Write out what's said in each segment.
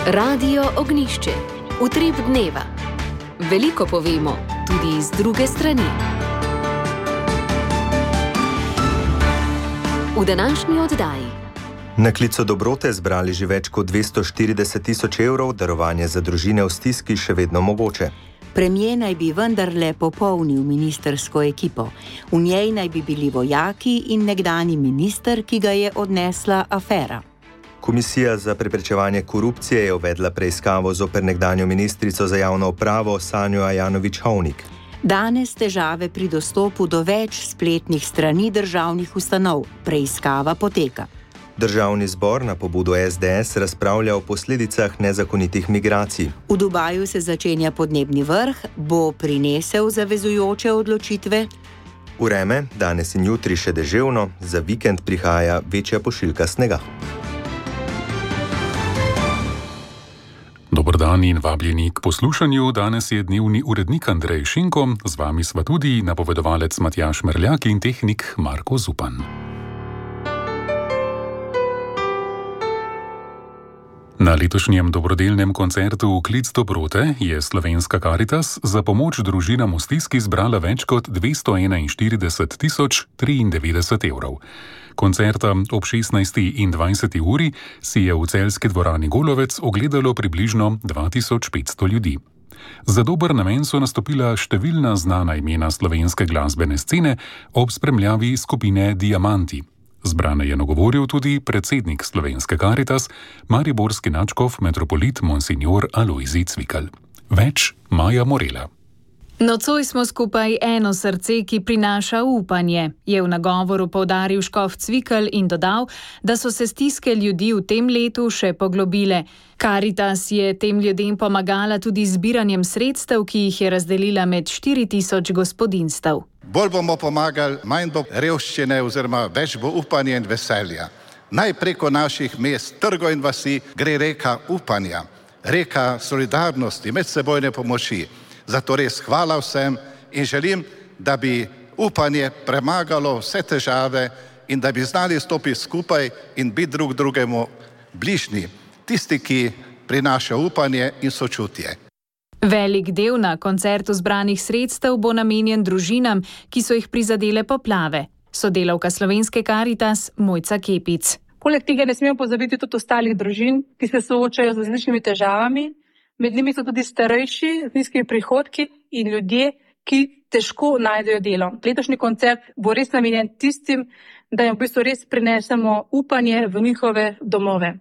Radio Ognišče, utrip dneva. Veliko povemo, tudi iz druge strani. V današnji oddaji. Na klicu dobrote zbrali že več kot 240.000 evrov, darovanje za družine v stiski še vedno mogoče. Premier naj bi vendarle popolnil ministersko ekipo. V njej naj bi bili vojaki in nekdanji minister, ki ga je odnesla afera. Komisija za preprečevanje korupcije je uvedla preiskavo zoper nekdanjo ministrico za javno upravo Sanjo Ajanović-Hovnik. Danes težave pri dostopu do več spletnih strani državnih ustanov. Preiskava poteka. Državni zbor na pobudo SDS razpravlja o posledicah nezakonitih migracij. V Dubaju se začenja podnebni vrh, bo prinesel zavezujoče odločitve. Vreme, danes in jutri še deževno, za vikend prihaja večja pošiljka snega. Dober dan in vabljeni k poslušanju. Danes je dnevni urednik Andrej Šinko, z vami sva tudi napovedovalec Matjaž Merljak in tehnik Marko Zupan. Na letošnjem dobrodelnem koncertu Klic dobrote je Slovenska Karitas za pomoč družinam v stiski zbrala več kot 241.093 evrov. Koncerta ob 16. in 20. uri si je v celjski dvorani Golovec ogledalo približno 2500 ljudi. Za dober namen so nastopila številna znana imena slovenske glasbene scene ob spremljavi skupine Diamanti. Zbrane je nagovoril tudi predsednik Slovenske Karitas, mariborski nadškof metropolit Monsignor Alojzij Cvikl. Več Maja Morela. Nocoj smo skupaj eno srce, ki prinaša upanje, je v nagovoru poudaril škof Cvikl in dodal, da so se stiske ljudi v tem letu še poglobile. Karitas je tem ljudem pomagala tudi z zbiranjem sredstev, ki jih je razdelila med 4000 gospodinjstev. Bolj bomo pomagali, manj bo revščine oziroma več bo upanja in veselja. Naj preko naših mest, trgov in vasi gre reka upanja, reka solidarnosti, medsebojne pomoči. Zato res hvala vsem in želim, da bi upanje premagalo vse težave in da bi znali stopiti skupaj in biti drug drugemu bližnji, tisti, ki prinaša upanje in sočutje. Velik del na koncertu zbranih sredstev bo namenjen družinam, ki so jih prizadele poplave. Sodelavka Slovenske Karitas Mojca Kepic. Poleg tega ne smemo pozabiti tudi ostalih družin, ki se soočajo z različnimi težavami. Med njimi so tudi starejši, z nizkimi prihodki in ljudje, ki težko najdejo delo. Letošnji koncert bo res namenjen tistim, da jim v bistvu res prinesemo upanje v njihove domove.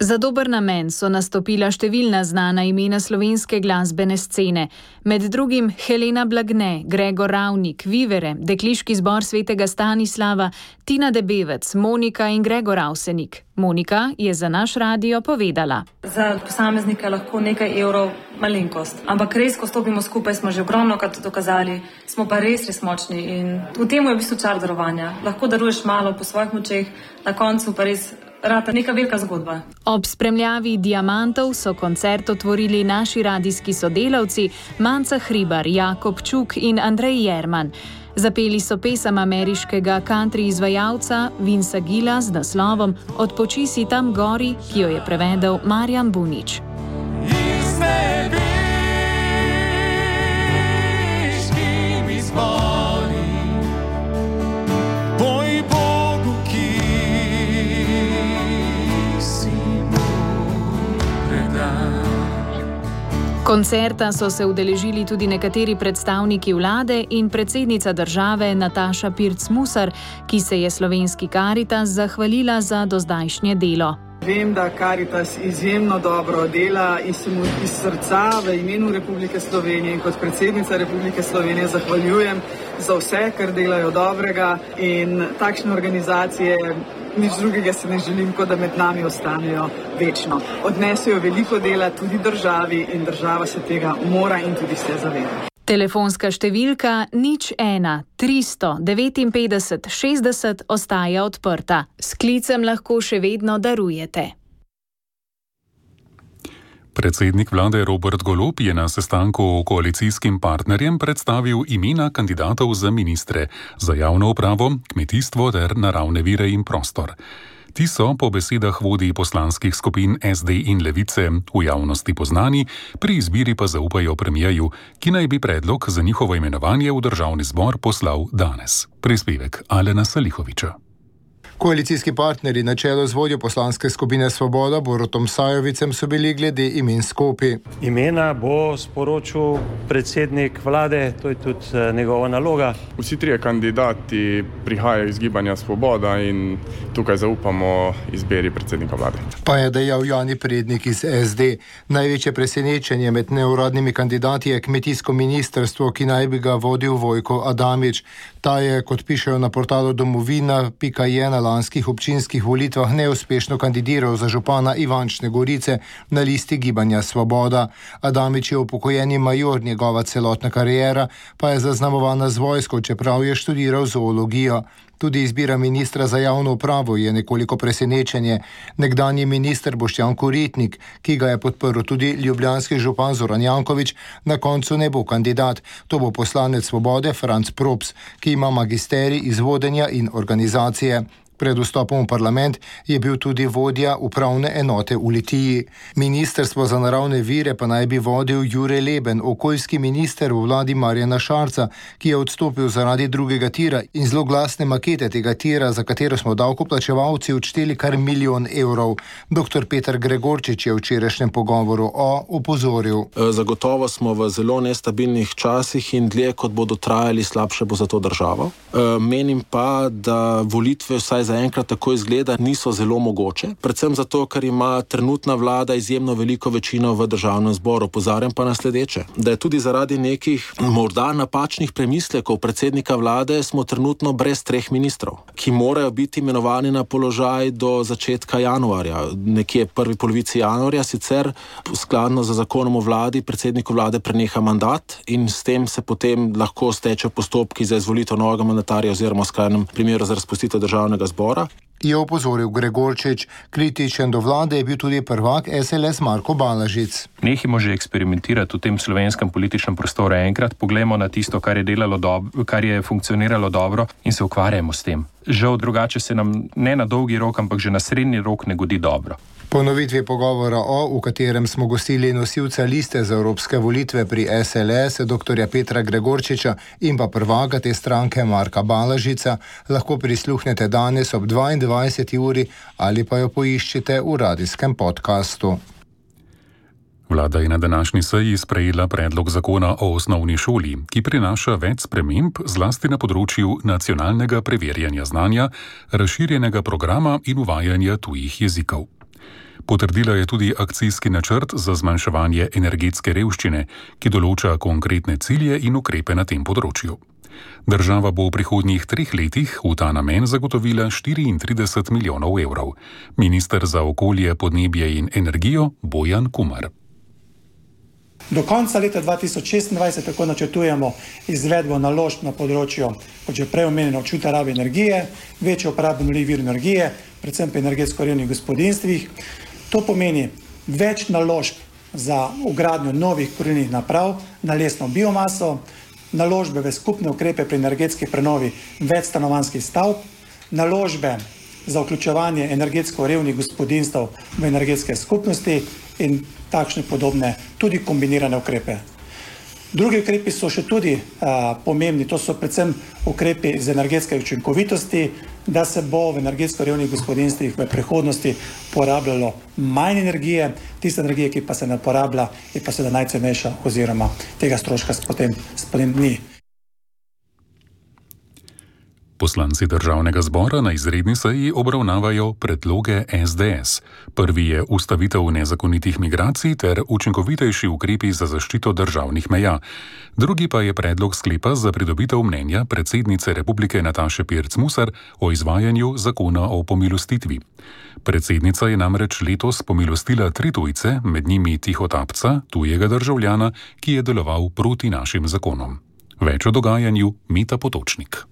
Za dober namen so nastopila številna znana imena slovenske glasbene scene. Med drugim Helena Blagne, Gregor Ravnik, Vivere, Dekliški zbor Svetega Stanislava, Tina Debevec, Monika in Gregor Avsenik. Monika je za naš radio povedala. Za posameznika lahko nekaj evrov malenkost, ampak res, ko stopimo skupaj, smo že ogromno krat dokazali, smo pa res močni in v tem je v bistvu čar darovanja. Lahko daruješ malo po svojih močeh, na koncu pa res rata neka velika zgodba. Ob spremljavi Diamantov so koncert otvorili naši radijski sodelavci Manca Hribar, Jakob Čuk in Andrej Jerman. Zapeli so pesem ameriškega country izvajalca Vinca Gilla z naslovom Odpoči si tam gori, ki jo je prevedel Marjan Bunič. Koncerta so se udeležili tudi nekateri predstavniki vlade in predsednica države Nataša Pirc Musar, ki se je Slovenski Karitas zahvalila za dozdajšnje delo. Vem, da Karitas izjemno dobro dela in se mu iz srca v imenu Republike Slovenije in kot predsednica Republike Slovenije zahvaljujem za vse, kar delajo dobrega in takšne organizacije. Nič drugega se ne želim, kot da med nami ostanejo večno. Odnesejo veliko dela tudi državi in država se tega mora in tudi se zaveda. Telefonska številka 01 359 60 ostaja odprta. S klicem lahko še vedno darujete. Predsednik vlade Robert Golob je na sestanku koalicijskim partnerjem predstavil imena kandidatov za ministre za javno upravo, kmetijstvo ter naravne vire in prostor. Ti so po besedah vodij poslanskih skupin SD in Levice v javnosti poznani, pri izbiri pa zaupajo premijeju, ki naj bi predlog za njihovo imenovanje v državni zbor poslal danes. Prispevek Alena Salihoviča. Koalicijski partnerji na čelu z vodjo poslanske skupine Svoboda Borutom Sajovicem so bili glede imen skopi. Imena bo sporočil predsednik vlade, to je tudi njegova naloga. Vsi trije kandidati prihajajo iz Gibanja Svoboda in tukaj zaupamo izbiri predsednika vlade. Pa je dejal Jani Prednik iz SD. Največje presenečenje med neuradnimi kandidati je kmetijsko ministrstvo, ki naj bi ga vodil Vojko Adamič. Ta je, kot pišejo na portalu domovina.je, na lanskih občinskih volitvah neuspešno kandidiral za župana Ivančne Gorice na listi Gibanja Svoboda. Adamič je upokojeni major, njegova celotna kariera pa je zaznamovana z vojsko, čeprav je študiral zoologijo. Tudi izbira ministra za javno upravo je nekoliko presenečenje. Nekdanji minister Boštjan Koritnik, ki ga je podprl tudi ljubljanski župan Zoran Janković, na koncu ne bo kandidat. To bo poslanec Svobode Franc Props, ki ima magisterij iz vodenja in organizacije. Pred vstopom v parlament je bil tudi vodja upravne enote v Litiji. Ministrstvo za naravne vire pa naj bi vodil Jure Leben, okoljski minister v vladi Marjana Šarca, ki je odstopil zaradi drugega tira in zloglasne makete tega tira, za katero smo davkoplačevalci odšteli kar 1 milijon evrov. Dr. Peter Gregorčič je v včerajšnjem pogovoru opozoril. Zagotovo smo v zelo nestabilnih časih in dlje, kot bodo trajali, slabše bo za to državo. Menim pa, da volitve vsaj zaenkrat tako izgleda niso zelo mogoče, predvsem zato, ker ima trenutna vlada izjemno veliko večino v državnem zboru. Opozarjam pa na sledeče, da je tudi zaradi nekih morda napačnih premislekov predsednika vlade smo trenutno brez 3 ministrov, ki morajo biti imenovani na položaj do začetka januarja, nekje prvi polovici januarja, sicer skladno z zakonom o vladi predsedniku vlade preneha mandat in s tem se potem lahko stečejo postopki za izvolitev novega mandatarja oziroma v skrajnem primeru za razpustitev državnega zbora. Je opozoril Gregorčič. Kritičen do vlade je bil tudi prvak SLS Marko Balažic. Nehimo že eksperimentirati v tem slovenskem političnem prostoru enkrat, poglejmo na tisto, kar je funkcioniralo dobro in se ukvarjamo s tem. Žal drugače se nam ne na dolgi rok, ampak že na srednji rok ne godi dobro. Ponovitvi pogovora v katerem smo gostili nosilca liste za evropske volitve pri SLS, dr. Petra Gregorčiča in pa prvaka te stranke Marka Balažica, lahko prisluhnete danes ob 22. uri ali pa jo poiščite v radijskem podkastu. Vlada je na današnji seji sprejela predlog zakona o osnovni šoli, ki prinaša več sprememb zlasti na področju nacionalnega preverjanja znanja, razširjenega programa in uvajanja tujih jezikov. Potrdila je tudi akcijski načrt za zmanjševanje energetske revščine, ki določa konkretne cilje in ukrepe na tem področju. Država bo v prihodnjih 3 letih v ta namen zagotovila 34 milijonov evrov. Minister za okolje, podnebje in energijo Bojan Kumar. Do konca leta 2026 tako načrtujemo izvedbo naložb na področju, kot že prej omenjeno, učinkovite rabe energije, večjo uporabo obnovljivih virov energije, predvsem pri energetsko revnih gospodinjstvih. To pomeni več naložb za vgradnjo novih kurilnih naprav na lesno biomaso, naložbe v skupne ukrepe pri energetski prenovi več stanovanjskih stavb, naložbe za vključevanje energetsko revnih gospodinjstev v energetske skupnosti in takšne podobne, tudi kombinirane ukrepe. Drugi ukrepi so še tudi pomembni, to so predvsem ukrepi z energetske učinkovitosti, da se bo v energetsko revnih gospodinjstvih v prihodnosti porabljalo manj energije, tiste energije, ki pa se ne porablja, je pa seveda najcenejša oziroma tega stroška potem ni. Poslanci državnega zbora na izredni seji obravnavajo predloge SDS. Prvi je ustavitev nezakonitih migracij ter učinkovitejši ukrepi za zaščito državnih meja. Drugi pa je predlog sklepa za pridobitev mnenja predsednice Republike Nataše Pirc Musar o izvajanju zakona o pomilostitvi. Predsednica je namreč letos pomilostila 3 tujce, med njimi tihotapca, tujega državljana, ki je deloval proti našim zakonom. Več o dogajanju Mita Potočnik.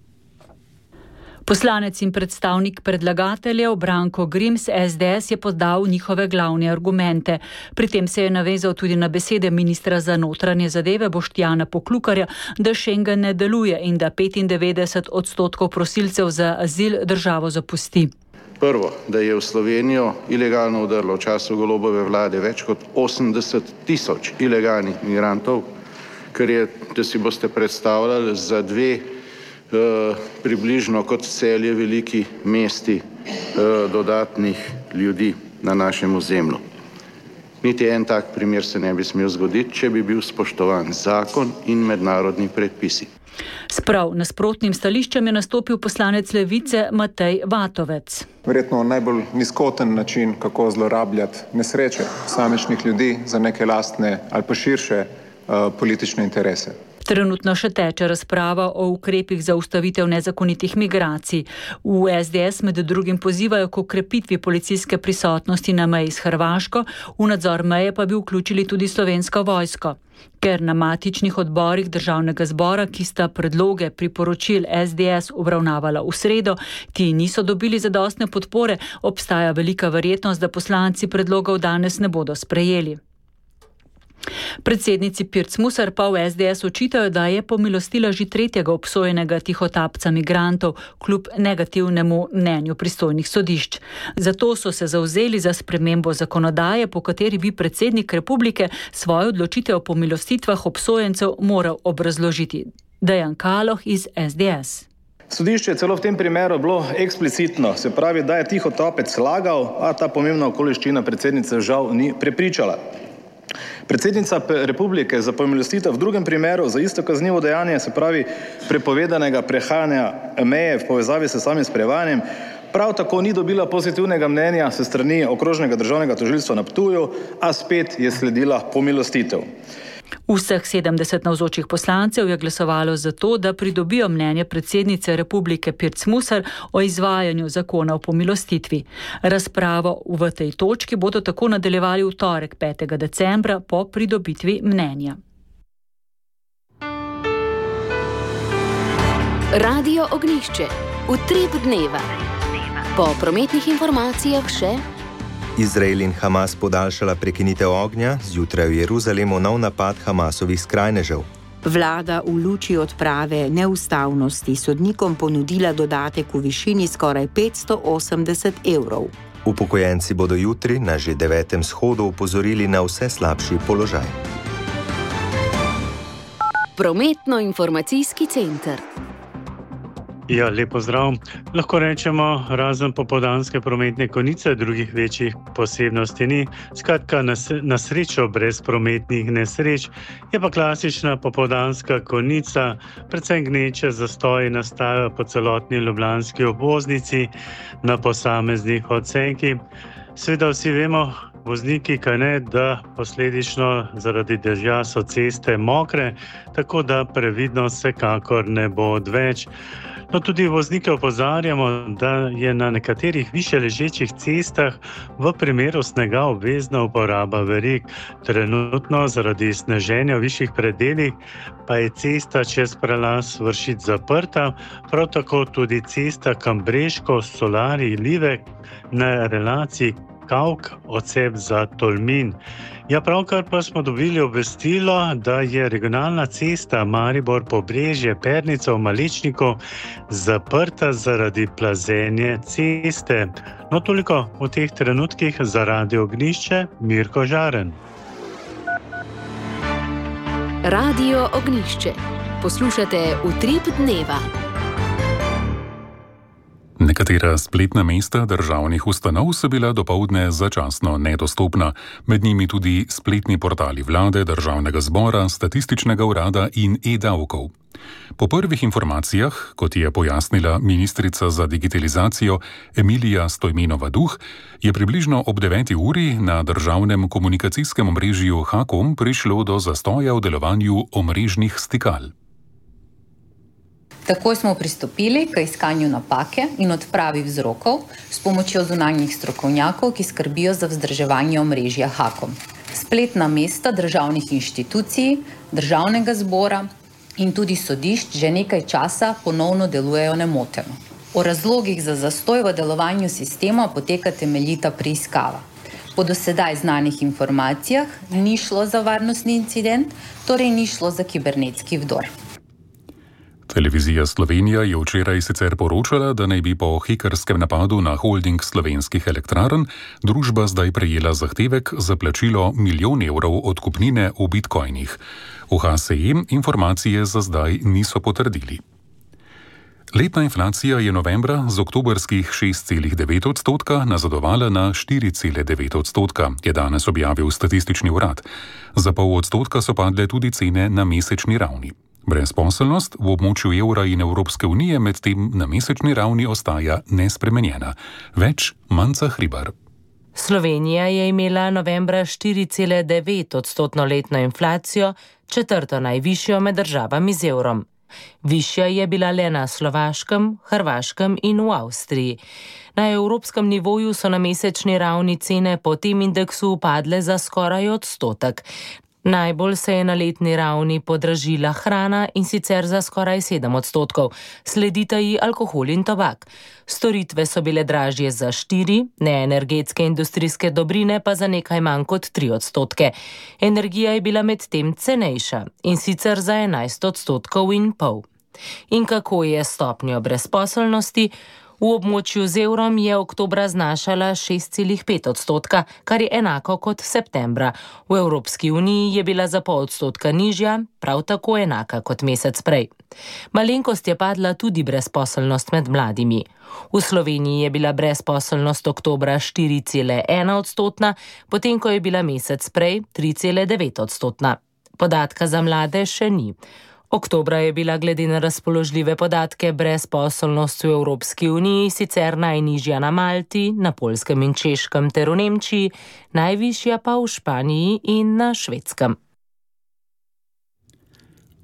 Poslanec in predstavnik predlagateljev Branko Grims SDS je podal njihove glavne argumente. Pri tem se je navezal tudi na besede ministra za notranje zadeve Boštjana Poklukarja, da Schengen ne deluje in da 95% prosilcev za azil državo zapusti. Prvo, da je v Slovenijo ilegalno vdrlo v času Golobove vlade več kot 80.000 ilegalnih migrantov, kar je, da si boste predstavljali, za dve približno kot Celje veliki mesti dodatnih ljudi na našem ozemlju. Niti en tak primer se ne bi smel zgoditi, če bi bil spoštovan zakon in mednarodni predpisi. S prav nasprotnim stališčem je nastopil poslanec Levice Matej Vatovec. Verjetno najbolj nizkoten način, kako zlorabljati nesreče posamičnih ljudi za neke lastne ali pa širše politične interese. Trenutno še teče razprava o ukrepih za ustavitev nezakonitih migracij. V SDS med drugim pozivajo k okrepitvi policijske prisotnosti na meji s Hrvaško, v nadzor meje pa bi vključili tudi Slovensko vojsko. Ker na matičnih odborih Državnega zbora, ki sta predloge priporočil SDS obravnavala v sredo, ti niso dobili zadostne podpore, obstaja velika verjetnost, da poslanci predlogov danes ne bodo sprejeli. Predsednici Pirc Musar pa v SDS očitajo, da je pomilostila že tretjega obsojenega tihotapca migrantov kljub negativnemu mnenju pristojnih sodišč. Zato so se zavzeli za spremembo zakonodaje, po kateri bi predsednik republike svojo odločitev o pomilostitvah obsojencev moral obrazložiti. Dejan Kaloh iz SDS. Sodišče je celo v tem primeru bilo eksplicitno, se pravi, da je tihotapec lagal, a ta pomembna okoliščina predsednice žal ni prepričala. Predsednica republike za pomilostitev v drugem primeru za isto kaznivo dejanje, se pravi prepovedanega prehajanja meje v povezavi s samim sprevajanjem, prav tako ni dobila pozitivnega mnenja s strani Okrožnega državnega tožilstva na Ptuju, a spet je sledila pomilostitev. Vseh 70 navzočih poslancev je glasovalo za to, da pridobijo mnenje predsednice republike Pirc Musar o izvajanju zakona o pomilostitvi. Razpravo v tej točki bodo tako nadaljevali v torek 5. decembra po pridobitvi mnenja. Radio Ognjišče. Utrip dneva. Po prometnih informacijah še Izrael in Hamas podaljšala prekinitev ognja, zjutraj v Jeruzalemu nov napad Hamasovih skrajnežev. Vlada v luči odprave neustavnosti sodnikom ponudila dodatek v višini skoraj 580 evrov. Upokojenci bodo jutri na že 9. shodu opozorili na vse slabši položaj. Prometno-informacijski center. Ja, lepo zdrav. Lahko rečemo, razen popoldanske prometne konice, drugih večjih posebnosti ni. Skratka, na srečo brez prometnih nesreč je pa klasična popoldanska konica, predvsem gneče zastoji nastajajo po celotni ljubljanski obvoznici na posameznih odsekih. Seveda vsi vemo, vozniki, da posledično zaradi dežja so ceste mokre, tako da previdnost vsekakor ne bo odveč. No, tudi voznike opozarjamo, da je na nekaterih više ležečih cestah v primeru snega obvezna uporaba verig. Trenutno zaradi sneženja v višjih predelih pa je cesta čez prelaz Vršič zaprta, prav tako tudi cesta Kambreško-Solari-Livek na relaciji Kavk odsep za Tolmin. Ja, pravkar pa smo dobili obvestilo, da je regionalna cesta Maribor-Pobrežje-Pernica v Malečniku zaprta zaradi plazenja ceste. No, toliko v teh trenutkih za Radio Ognjišče, Mirko Žaren. Radio Ognjišče. Poslušate Utrip dneva. Nekatera spletna mesta državnih ustanov so bila dopoldne začasno nedostopna, med njimi tudi spletni portali vlade, Državnega zbora, Statističnega urada in e-davkov. Po prvih informacijah, kot je pojasnila ministrica za digitalizacijo Emilija Stojmenova-Duh, je približno ob 9. uri na državnem komunikacijskem omrežju Hakom prišlo do zastoja v delovanju omrežnih stikal. Takoj smo pristopili k iskanju napake in odpravi vzrokov s pomočjo zunanjih strokovnjakov, ki skrbijo za vzdrževanje omrežja Hakom. Spletna mesta državnih inštitucij, Državnega zbora in tudi sodišč že nekaj časa ponovno delujejo nemoteno. O razlogih za zastoj v delovanju sistema poteka temeljita preiskava. Po do sedaj znanih informacijah ni šlo za varnostni incident, torej ni šlo za kibernetski vdor. Televizija Slovenija je včeraj sicer poročala, da naj bi po hekerskem napadu na holding slovenskih elektrarn družba zdaj prejela zahtevek za plačilo €1 milijon odkupnine v bitcoinih. V HSE informacije za zdaj niso potrdili. Letna inflacija je novembra z oktobrskih 6,9% nazadovala na 4,9%, je danes objavil statistični urad. Za 0,5% so padle tudi cene na mesečni ravni. Brezposelnost v območju evra in Evropske unije medtem na mesečni ravni ostaja nespremenjena. Več Manca Hribar. Slovenija je imela novembra 4,9% letno inflacijo, četrto najvišjo med državami z evrom. Višja je bila le na Slovaškem, Hrvaškem in v Avstriji. Na evropskem nivoju so na mesečni ravni cene po tem indeksu upadle za skoraj 1%. Najbolj se je na letni ravni podražila hrana in sicer za skoraj 7%, sledita ji alkohol in tobak. Storitve so bile dražje za 4%, neenergetske industrijske dobrine pa za nekaj manj kot 3%. Energija je bila medtem cenejša in sicer za 11,5%. In kako je s stopnjo brezposelnosti? V območju z evrom je oktobra znašala 6,5%, kar je enako kot septembra. V Evropski uniji je bila za 0,5% nižja, prav tako enaka kot mesec prej. Malenkost je padla tudi brezposelnost med mladimi. V Sloveniji je bila brezposelnost oktobra 4,1%, potem ko je bila mesec prej 3,9%. Podatka za mlade še ni. Oktobra je bila glede na razpoložljive podatke brezposelnost v Evropski uniji sicer najnižja na Malti, na Poljskem in Češkem ter v Nemčiji, najvišja pa v Španiji in na Švedskem.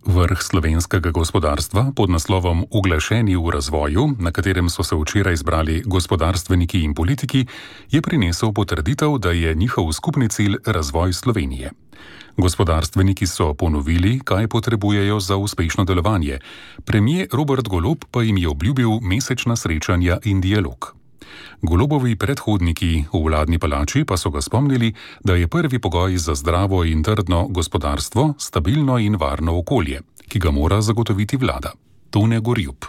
Vrh slovenskega gospodarstva pod naslovom Uglašeni v razvoju, na katerem so se včeraj zbrali gospodarstveniki in politiki, je prinesel potrditev, da je njihov skupni cilj razvoj Slovenije. Gospodarstveniki so ponovili, kaj potrebujejo za uspešno delovanje. Premier Robert Golob pa jim je obljubil mesečna srečanja in dialog. Golobovi predhodniki v vladni palači pa so ga spomnili, da je prvi pogoj za zdravo in trdno gospodarstvo stabilno in varno okolje, ki ga mora zagotoviti vlada. Tone Gorjup.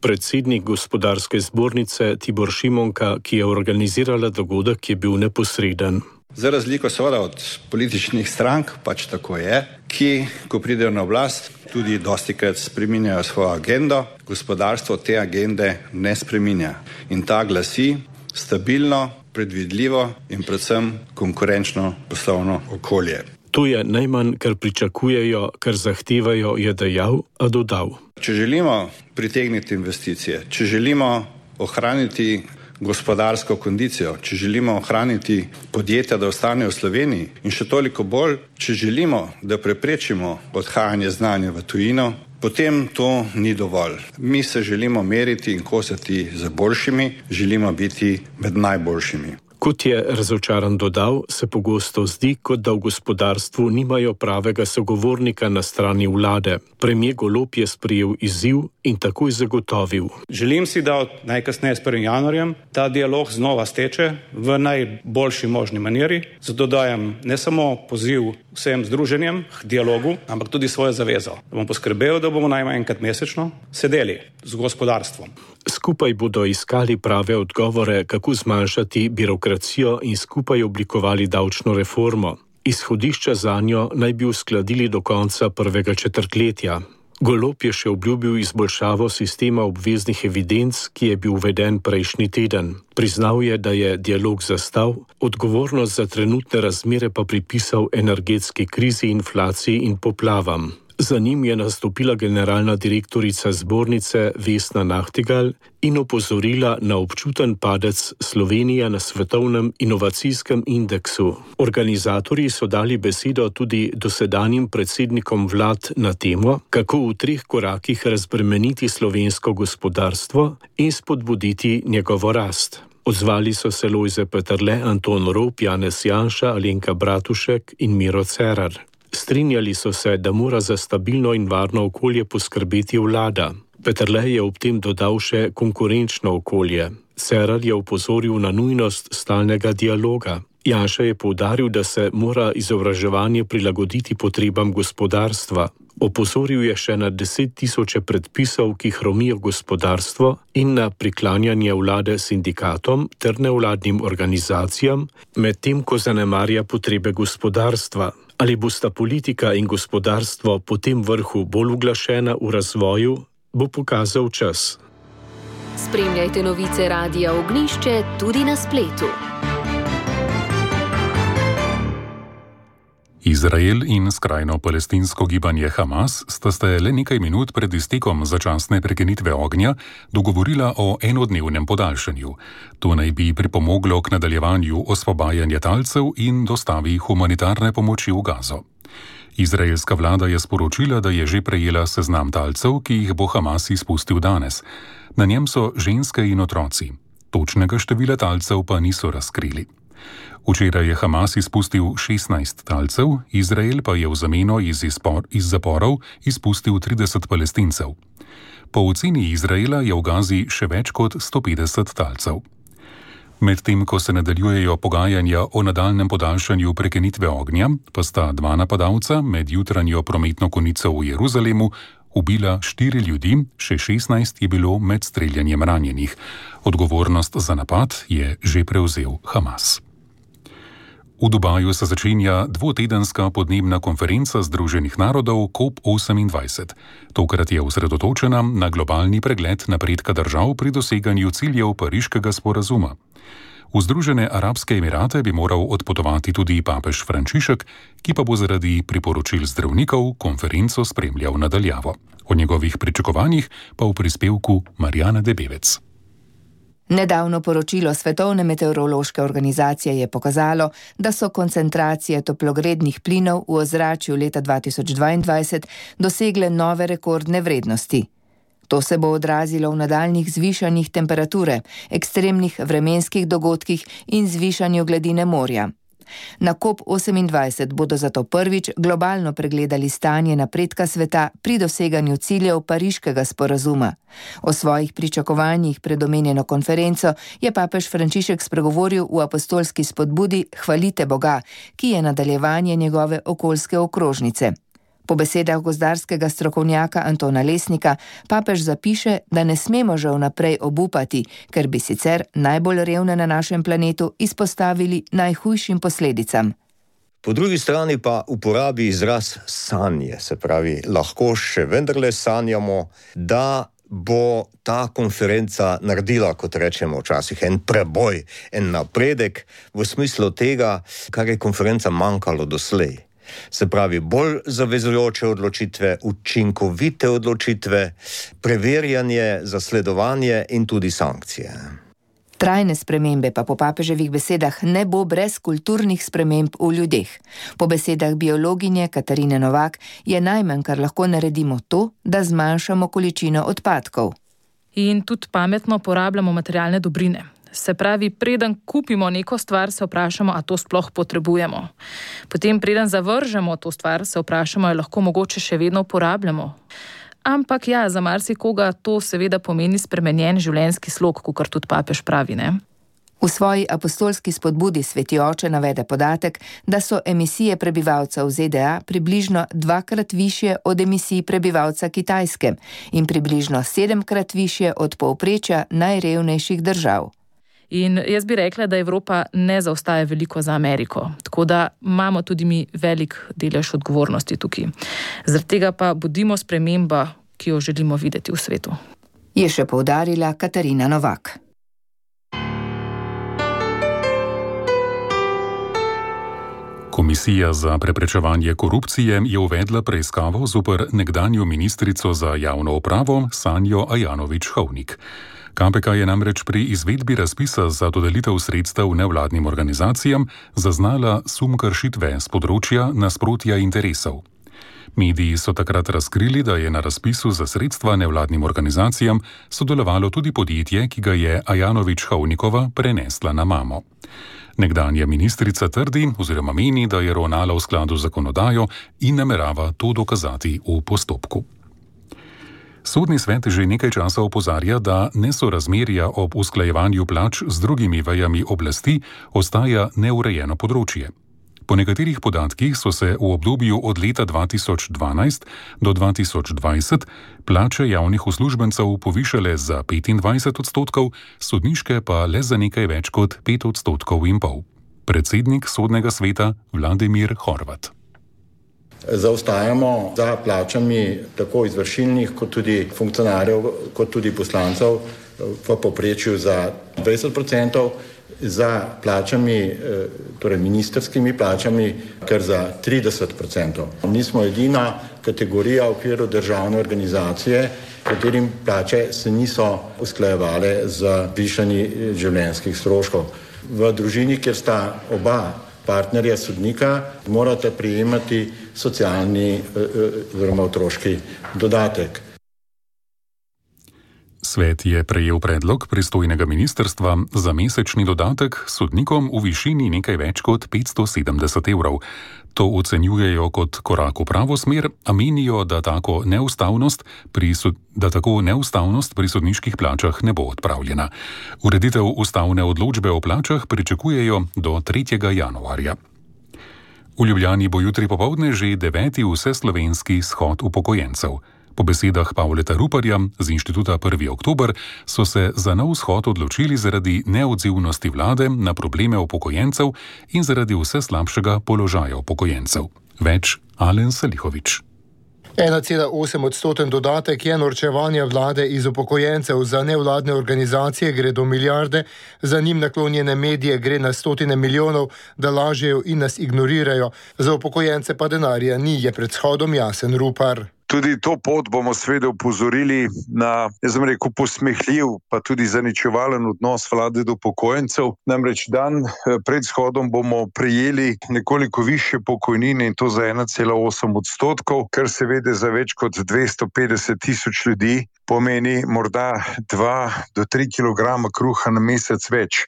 Predsednik gospodarske zbornice Tibor Šimonka, ki je organizirala dogodek, je bil neposreden. Za razliko seveda od političnih strank, pač tako je, ki, ko pridejo na oblast, tudi dostikrat spreminjajo svojo agendo, gospodarstvo te agende ne spreminja. In ta glasi stabilno, predvidljivo in predvsem konkurenčno poslovno okolje. To je najmanj, kar pričakujejo, kar zahtevajo, je dejal, a dodal. Če želimo pritegniti investicije, če želimo ohraniti gospodarsko kondicijo, če želimo ohraniti podjetja, da ostanejo v Sloveniji in še toliko bolj, če želimo, da preprečimo odhajanje znanja v tujino, potem to ni dovolj. Mi se želimo meriti in kosati z boljšimi, želimo biti med najboljšimi. Kot je razočaran dodal, se pogosto zdi, kot da v gospodarstvu nimajo pravega sogovornika na strani vlade. Premier Golob je sprejel izziv in takoj zagotovil. Želim si, da od najkasneje s 1. januarjem ta dialog znova steče v najboljši možni maniri. Zato dajem ne samo poziv vsem združenjem k dialogu, ampak tudi svojo zavezo. Da bom poskrbel, da bomo najmanj enkrat mesečno sedeli z gospodarstvom. Skupaj bodo iskali prave odgovore, kako zmanjšati birokracijo in skupaj oblikovali davčno reformo. Izhodišča zanjo naj bi uskladili do konca prvega četrtletja. Golob je še obljubil izboljšavo sistema obveznih evidenc, ki je bil uveden prejšnji teden. Priznal je, da je dialog zastal, odgovornost za trenutne razmere pa pripisal energetski krizi, inflaciji in poplavam. Za njim je nastopila generalna direktorica zbornice Vesna Nachtigal in opozorila na občuten padec Slovenije na svetovnem inovacijskem indeksu. Organizatorji so dali besedo tudi dosedanjim predsednikom vlad na temo, kako v 3 korakih razbremeniti slovensko gospodarstvo in spodbuditi njegovo rast. Odzvali so se Lojze Peterle, Anton Rop, Janez Janša, Alenka Bratušek in Miro Cerar. Strinjali so se, da mora za stabilno in varno okolje poskrbeti vlada. Peterle je ob tem dodal še konkurenčno okolje. Cerar je opozoril na nujnost stalnega dialoga. Janša je poudaril, da se mora izobraževanje prilagoditi potrebam gospodarstva. Opozoril je še na 10 000 predpisov, ki hromijo gospodarstvo in na priklanjanje vlade sindikatom ter nevladnim organizacijam, medtem ko zanemarja potrebe gospodarstva. Ali bosta politika in gospodarstvo po tem vrhu bolj uglašena v razvoju, bo pokazal čas. Spremljajte novice Radia Ognišče tudi na spletu. Izrael in skrajno palestinsko gibanje Hamas sta se le nekaj minut pred iztekom začasne prekinitve ognja dogovorila o enodnevnem podaljšanju. To naj bi pripomoglo k nadaljevanju osvobajanja talcev in dostavi humanitarne pomoči v Gazo. Izraelska vlada je sporočila, da je že prejela seznam talcev, ki jih bo Hamas izpustil danes. Na njem so ženske in otroci. Točnega števila talcev pa niso razkrili. Včeraj je Hamas izpustil 16 talcev, Izrael pa je v zameno iz zaporov izpustil 30 Palestincev. Po oceni Izraela je v Gazi še več kot 150 talcev. Medtem ko se nadaljujejo pogajanja o nadaljnem podaljšanju prekinitve ognja, pa sta dva napadalca med jutranjo prometno konico v Jeruzalemu ubila 4 ljudi, še 16 je bilo med streljanjem ranjenih. Odgovornost za napad je že prevzel Hamas. V Dubaju se začenja dvotedenska podnebna konferenca Združenih narodov COP28. Tokrat je osredotočena na globalni pregled napredka držav pri doseganju ciljev Pariškega sporazuma. V Združene arabske emirate bi moral odpotovati tudi papež Frančišek, ki pa bo zaradi priporočil zdravnikov konferenco spremljal nadaljavo. O njegovih pričakovanjih pa v prispevku Marjana Debevec. Nedavno poročilo Svetovne meteorološke organizacije je pokazalo, da so koncentracije toplogrednih plinov v ozračju leta 2022 dosegle nove rekordne vrednosti. To se bo odrazilo v nadaljnjih zvišanjih temperature, ekstremnih vremenskih dogodkih in zvišanju gladine morja. Na COP28 bodo zato prvič globalno pregledali stanje napredka sveta pri doseganju ciljev Pariškega sporazuma. O svojih pričakovanjih pred omenjeno konferenco je papež Frančišek spregovoril v apostolski spodbudi Hvalite Boga, ki je nadaljevanje njegove okoljske okrožnice. Po besedah gozdarskega strokovnjaka Antona Lesnika, papež zapiše, da ne smemo že vnaprej obupati, ker bi sicer najbolj revne na našem planetu izpostavili najhujšim posledicam. Po drugi strani pa uporabi izraz sanje, se pravi, lahko še vendarle sanjamo, da bo ta konferenca naredila, kot rečemo včasih, en preboj, en napredek v smislu tega, kar je konferenca manjkalo doslej. Se pravi, bolj zavezujoče odločitve, učinkovite odločitve, preverjanje, zasledovanje in tudi sankcije. Trajne spremembe pa po papeževih besedah ne bo brez kulturnih sprememb v ljudeh. Po besedah biologinje Katarine Novak je najmanj, kar lahko naredimo to, da zmanjšamo količino odpadkov. In tudi pametno porabljamo materialne dobrine. Se pravi, preden kupimo neko stvar, se vprašamo, a to sploh potrebujemo. Potem, preden zavržemo to stvar, se vprašamo, ali lahko mogoče še vedno uporabljamo. Ampak ja, za marsikoga to seveda pomeni spremenjen življenjski slog, kakor tudi papež pravi, ne? V svoji apostolski spodbudi Sveti oče navede podatek, da so emisije prebivalcev ZDA približno 2-krat višje od emisij prebivalca Kitajske in približno 7-krat višje od povprečja najrevnejših držav. In jaz bi rekla, da Evropa ne zaostaja veliko za Ameriko, tako da imamo tudi mi velik delež odgovornosti tukaj. Zaradi tega pa bodimo sprememba, ki jo želimo videti v svetu. Je še poudarila Katarina Novak. Komisija za preprečevanje korupcije je uvedla preiskavo zoper nekdanjo ministrico za javno upravo Sanjo Ajanović-Hovnik. KPK je namreč pri izvedbi razpisa za dodelitev sredstev nevladnim organizacijam zaznala sum kršitve z področja nasprotja interesov. Mediji so takrat razkrili, da je na razpisu za sredstva nevladnim organizacijam sodelovalo tudi podjetje, ki ga je Ajanović-Hovnikova prenesla na mamo. Nekdanja ministrica trdi oziroma meni, da je ravnala v skladu z zakonodajo in namerava to dokazati v postopku. Sodni svet že nekaj časa opozarja, da nesorazmerja ob usklajevanju plač z drugimi vejami oblasti ostaja neurejeno področje. Po nekaterih podatkih so se v obdobju od leta 2012 do 2020 plače javnih uslužbencev povišale za 25%, sodniške pa le za nekaj več kot 5,5 %. Predsednik sodnega sveta Vladimir Horvat. Zaostajamo za plačami tako izvršilnih, kot tudi funkcionarjev, kot tudi poslancev v povprečju za 20%, za plačami, torej ministerskimi plačami, kar za 30%. Mi smo edina kategorija v okviru državne organizacije, katerim plače se niso usklajevale z višanji življenjskih stroškov. V družini, kjer sta oba partnerja sodnika, morate prejemati socialni oziroma otroški dodatek. Svet je prejel predlog pristojnega ministrstva za mesečni dodatek sodnikom v višini nekaj več kot 570 €. To ocenjujejo kot korak v pravo smer, a menijo, da tako neustavnost pri sodniških plačah ne bo odpravljena. Ureditev ustavne odločbe o plačah pričakujejo do 3. januarja. V Ljubljani bo jutri popoldne že 9. vseslovenski shod upokojencev. Po besedah Pavleta Ruparja z inštituta 1. oktober so se za nov shod odločili zaradi neodzivnosti vlade na probleme upokojencev in zaradi vse slabšega položaja upokojencev. Več Alen Salihovič. 1,8% dodatek je norčevanje vlade iz upokojencev. Za nevladne organizacije gre do milijarde, za njim naklonjene medije gre na stotine milijonov, da lažejo in nas ignorirajo. Za upokojence pa denarja ni, je pred shodom jasen Rupar. Tudi to pot bomo seveda upozorili na, posmehljiv, pa tudi zaničevalen odnos vlade do upokojencev. Namreč dan pred shodom bomo prejeli nekoliko više pokojnine in to za 1,8%, kar seveda za več kot 250 000 ljudi pomeni morda 2 do 3 kilograma kruha na mesec več.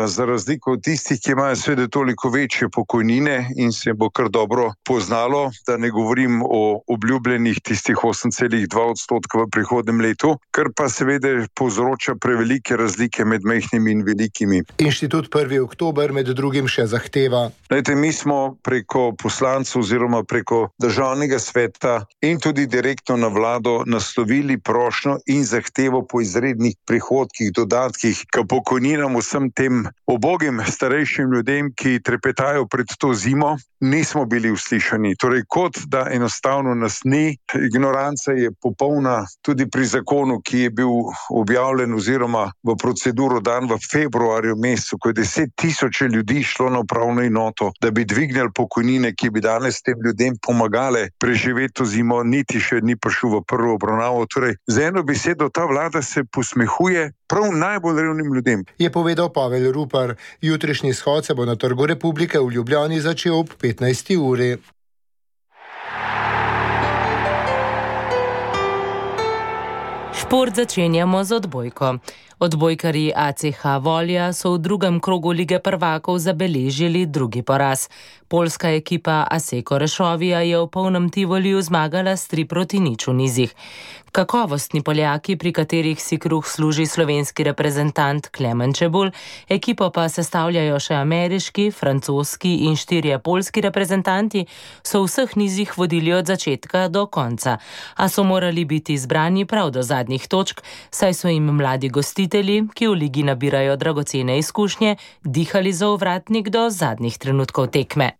Za razliko od tistih, ki imajo seveda toliko večje pokojnine in se bo kar dobro poznalo, da ne govorim o obljubljenih tistih 8,2% v prihodnem letu, kar pa seveda povzroča prevelike razlike med majhnimi in velikimi. Inštitut 1. oktober med drugim še zahteva. Mi smo preko poslancev oziroma preko državnega sveta in tudi direktno na vlado naslovili prošnjo in zahtevo po izrednih prihodkih, dodatkih k pokojninam vsem tem ubogim starejšim ljudem, ki trepetajo pred to zimo. Nismo bili uslišani. Torej, kot da enostavno nas ni. Ignoranca je popolna tudi pri zakonu, ki je bil objavljen oziroma v proceduro dan v februarju mesecu, ko je 10 000 ljudi šlo na upravno enoto, da bi dvignili pokojnine, ki bi danes tem ljudem pomagale preživeti to zimo, niti še ni prišel v prvo obravnavo. Torej, z eno besedo ta vlada se posmehuje prav najbolj revnim ljudem. Je povedal Pavel Rupar. Jutrišnji shod se bo na Trgu Republike v Ljubljani začel ob 15. uri. Šport začenjamo z odbojko. Odbojkarji ACH Volja so v drugem krogu Lige prvakov zabeležili drugi poraz. Poljska ekipa Asseco Rešovija je v polnem Tivoliju zmagala s 3-0 v nizih. Kakovostni Poljaki, pri katerih si kruh služi slovenski reprezentant Klemen Čebulj, ekipo pa sestavljajo še ameriški, francoski in 4 poljski reprezentanti, so v vseh nizih vodili od začetka do konca. A so morali biti izbrani prav do zadnjih točk, saj so jim mladi gostitelji, ki v ligi nabirajo dragocene izkušnje, dihali za ovratnik do zadnjih trenutkov tekme.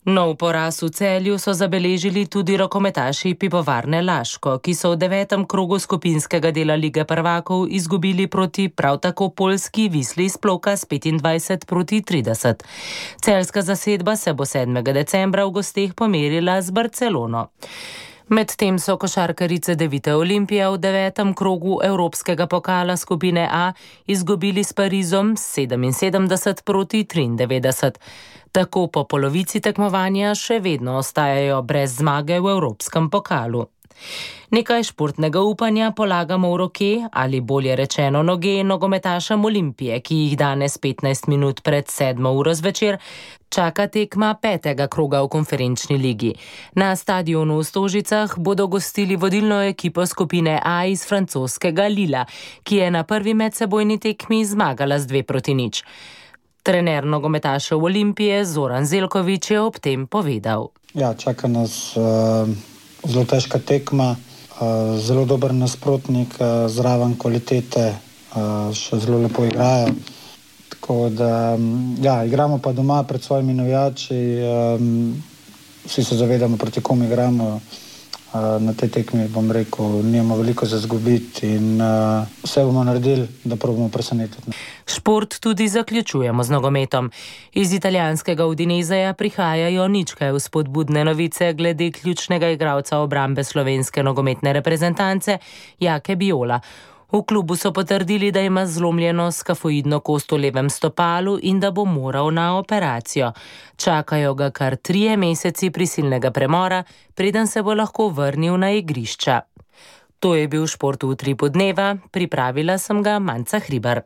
Nov poraz v Celju so zabeležili tudi rokometaši Pivovarne Laško, ki so v 9. krogu skupinskega dela Lige prvakov izgubili proti prav tako poljski Wisli iz Ploka s 25-30. Celjska zasedba se bo 7. decembra v gosteh pomerila z Barcelono. Medtem so košarkarice Devite Olimpije v 9. krogu Evropskega pokala skupine A izgubili s Parizom 77-93. Tako po polovici tekmovanja še vedno ostajajo brez zmage v Evropskem pokalu. Nekaj športnega upanja polagamo v roke, ali bolje rečeno noge, nogometašem Olimpije, ki jih danes 15 minut pred 7. uro zvečer čaka tekma 5. kroga v konferenčni ligi. Na stadionu v Stožicah bodo gostili vodilno ekipo skupine A iz francoskega Lila, ki je na prvi medsebojni tekmi zmagala z 2-0. Trener nogometašev Olimpije Zoran Zelković je ob tem povedal. Ja, čaka nas zelo težka tekma, zelo dober nasprotnik, zraven kvalitete, še zelo lepo igrajo. Tako da, ja, igramo pa doma pred svojimi navijači, vsi se zavedamo, proti kom igramo. Na tej tekmi, bom rekel, nimamo veliko za izgubiti in vse bomo naredili, da probamo presenetiti. Šport tudi zaključujemo z nogometom. Iz italijanskega Udineseja prihajajo nič kaj vzpodbudne novice glede ključnega igralca obrambe slovenske nogometne reprezentance Jake Biola. V klubu so potrdili, da ima zlomljeno skafoidno kost v levem stopalu in da bo moral na operacijo. Čakajo ga kar 3 meseci prisilnega premora, preden se bo lahko vrnil na igrišča. To je bil Šport v utripu dneva, pripravila sem ga Manca Hribar.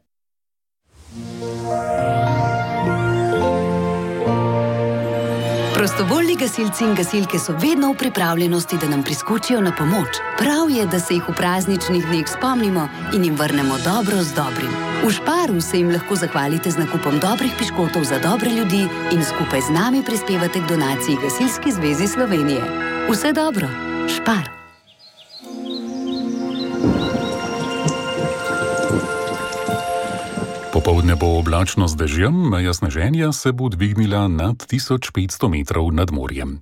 Prostovoljni gasilci in gasilke so vedno v pripravljenosti, da nam priskočijo na pomoč. Prav je, da se jih v prazničnih dneh spomnimo in jim vrnemo dobro z dobrim. V Šparu se jim lahko zahvalite z nakupom dobrih piškotov za dobre ljudi in skupaj z nami prispevate k donaciji Gasilski zvezi Slovenije. Vse dobro, Špar! Popoldne bo oblačno z dežjem, meja sneženja se bo dvignila nad 1500 metrov nad morjem.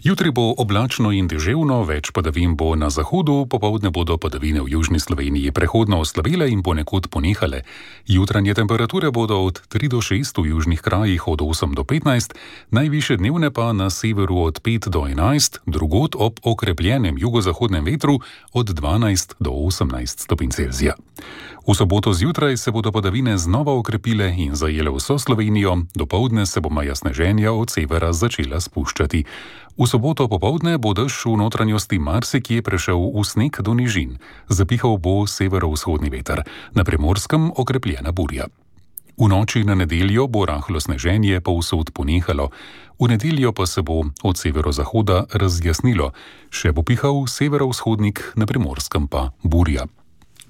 Jutri bo oblačno in deževno, več padavin bo na zahodu, popoldne bodo padavine v južni Sloveniji prehodno oslabele in ponekod ponehale. Jutranje temperature bodo od 3 do 6 v južnih krajih od 8 do 15, najvišje dnevne pa na severu od 5 do 11, drugod ob okrepljenem jugozahodnem vetru od 12 do 18 stopinj Celzija. V soboto zjutraj se bodo padavine znova okrepile in zajele vso Slovenijo, dopoldne se bo meja sneženja od severa začela spuščati. V soboto popoldne bo dež v notranjosti marsikje prešel v sneg do nižin. Zapihal bo severovzhodni veter, na Primorskem okrepljena burja. V noči na nedeljo bo rahlo sneženje povsod ponehalo, v nedeljo pa se bo od severozahoda razjasnilo, še bo pihal severovzhodnik, na Primorskem pa burja.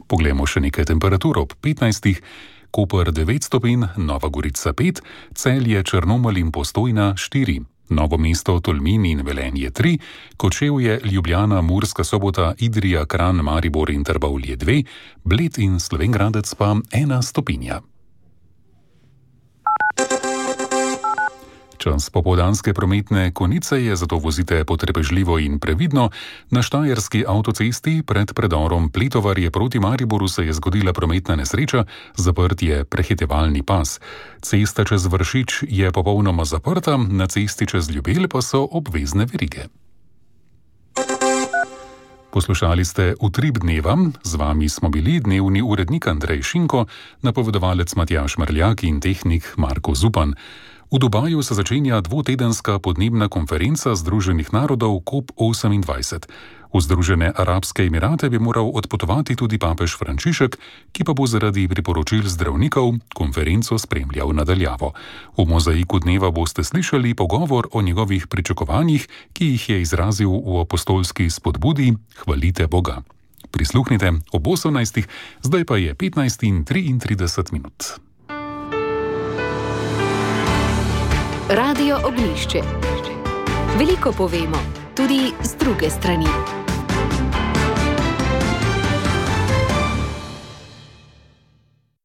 Poglejmo še nekaj temperatur ob 15. Koper 9 stopinj, Nova Gorica 5, Celje, Črnomelj in Postojna 4, Novo mesto, Tolmin in Velenje 3, Kočevje, Ljubljana, Murska Sobota, Idrija, Kranj, Maribor in Trbovlje 2, Bled in Slovenj Gradec pa 1 stopinja. Čas popoldanske prometne konice je, zato vozite potrpežljivo in previdno. Na štajerski avtocesti pred predorom Pletovarje proti Mariboru se je zgodila prometna nesreča, zaprt je prehitevalni pas. Cesta čez Vršič je popolnoma zaprta, na cesti čez Ljubelj pa so obvezne verige. Poslušali ste Utrip dneva, z vami smo bili dnevni urednik Andrej Šinko, napovedovalec Matjaž Mrljak in tehnik Marko Zupan. V Dubaju se začenja dvotedenska podnebna konferenca Združenih narodov COP28. V Združene arabske emirate bi moral odpotovati tudi papež Frančišek, ki pa bo zaradi priporočil zdravnikov konferenco spremljal nadaljavo. V mozaiku dneva boste slišali pogovor o njegovih pričakovanjih, ki jih je izrazil v apostolski spodbudi Hvalite Boga. Prisluhnite ob 18. Zdaj pa je 15:33. Radio Ognjišče. Veliko povemo, tudi z druge strani.